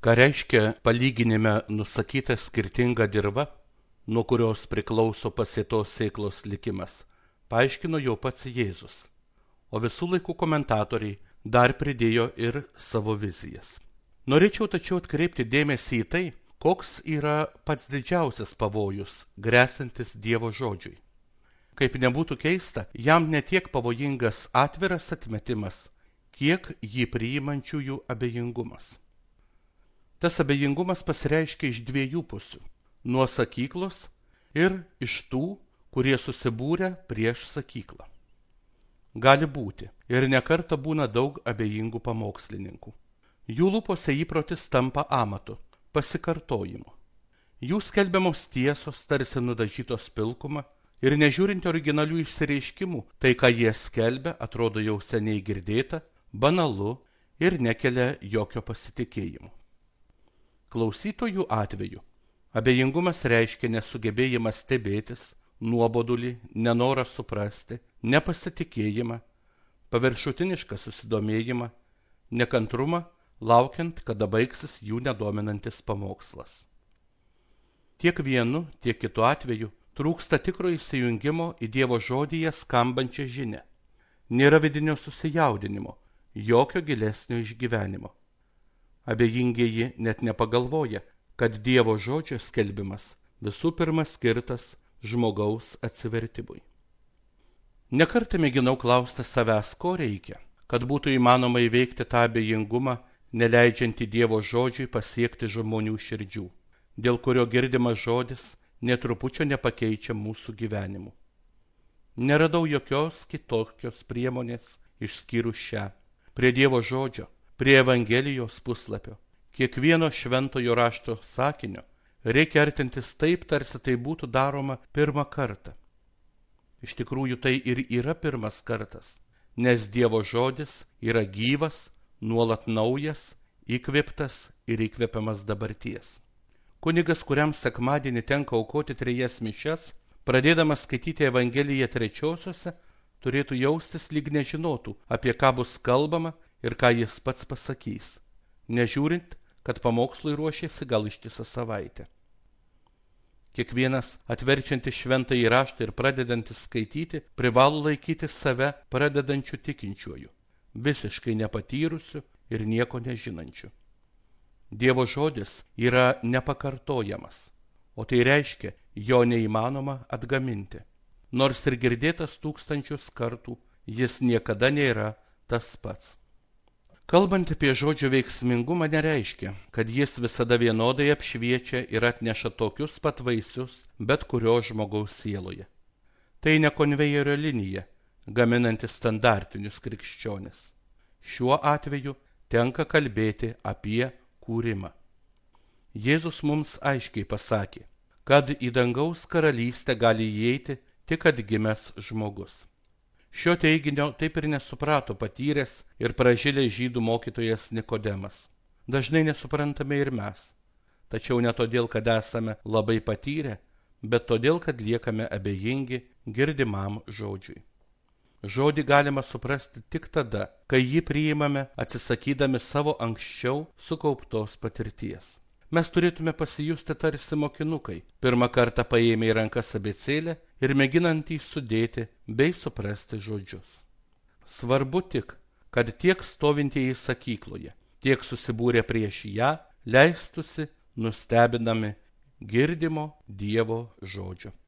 Ką reiškia palyginime nusakyta skirtinga dirva, nuo kurios priklauso pasėtos sėklos likimas, paaiškino jau pats Jėzus, o visų laikų komentatoriai dar pridėjo ir savo vizijas. Norėčiau tačiau atkreipti dėmesį į tai, koks yra pats didžiausias pavojus grėsintis Dievo žodžiui. Kaip nebūtų keista, jam netiek pavojingas atviras atmetimas, kiek jį priimančiųjų abejingumas. Tas abejingumas pasireiškia iš dviejų pusių – nuo sakyklos ir iš tų, kurie susibūrė prieš sakyklą. Gali būti ir nekarta būna daug abejingų pamokslininkų. Jų lūpose įprotis tampa amatu, pasikartojimu. Jų skelbiamos tiesos tarsi nudažytos pilkuma ir nežiūrint originalių išsireiškimų, tai ką jie skelbia atrodo jau seniai girdėta, banalu ir nekelia jokio pasitikėjimo. Klausytojų atveju abejingumas reiškia nesugebėjimą stebėtis, nuobodulį, nenorą suprasti, nepasitikėjimą, paviršutinišką susidomėjimą, nekantrumą, laukiant, kada baigsis jų nedominantis pamokslas. Tiek vienu, tiek kitu atveju trūksta tikro įsijungimo į Dievo žodyje skambančią žinią. Nėra vidinio susijaudinimo, jokio gilesnio išgyvenimo. Abejingieji net nepagalvoja, kad Dievo žodžio skelbimas visų pirma skirtas žmogaus atsivertimui. Nekartą mėginau klausti savęs, ko reikia, kad būtų įmanoma įveikti tą abejingumą, neleidžiantį Dievo žodžiui pasiekti žmonių širdžių, dėl kurio girdimas žodis netrupučio nepakeičia mūsų gyvenimų. Neradau jokios kitokios priemonės išskyrus šią. Prie Dievo žodžio, prie Evangelijos puslapio, kiekvieno šventojo rašto sakinio reikia artintis taip, tarsi tai būtų daroma pirmą kartą. Iš tikrųjų tai ir yra pirmas kartas, nes Dievo žodis yra gyvas, nuolat naujas, įkvėptas ir įkvepiamas dabarties. Kunigas, kuriam sekmadienį tenka aukoti 3 mišias, pradėdamas skaityti Evangeliją 3-osiose, turėtų jaustis lyg nežinotų, apie ką bus kalbama ir ką jis pats pasakys, nežiūrint, kad pamokslui ruošėsi gal ištisą savaitę. Kiekvienas atverčiantis šventąjį raštą ir pradedantis skaityti privalo laikyti save pradedančiu tikinčiuoju, visiškai nepatyrusiu ir nieko nežinančiu. Dievo žodis yra nepakartojamas, o tai reiškia, jo neįmanoma atgaminti. Nors ir girdėtas tūkstančius kartų, jis niekada nėra tas pats. Kalbant apie žodžio veiksmingumą nereiškia, kad jis visada vienodai apšviečia ir atneša tokius pat vaisius bet kurio žmogaus sieloje. Tai ne konvejerio linija, gaminanti standartinius krikščionis. Šiuo atveju tenka kalbėti apie kūrimą. Jėzus mums aiškiai pasakė, kad į dangaus karalystę gali įeiti tik atgimęs žmogus. Šio teiginio taip ir nesuprato patyręs ir pražilęs žydų mokytojas Nikodemas. Dažnai nesuprantame ir mes, tačiau ne todėl, kad esame labai patyrę, bet todėl, kad liekame abejingi girdimam žodžiui. Žodį galima suprasti tik tada, kai jį priimame atsisakydami savo anksčiau sukauptos patirties. Mes turėtume pasijusti tarsi mokinukai, pirmą kartą paėmę į rankas abėcėlę ir mėginantys sudėti bei suprasti žodžius. Svarbu tik, kad tiek stovintieji sakykloje, tiek susibūrę prieš ją leistųsi nustebinami girdimo Dievo žodžio.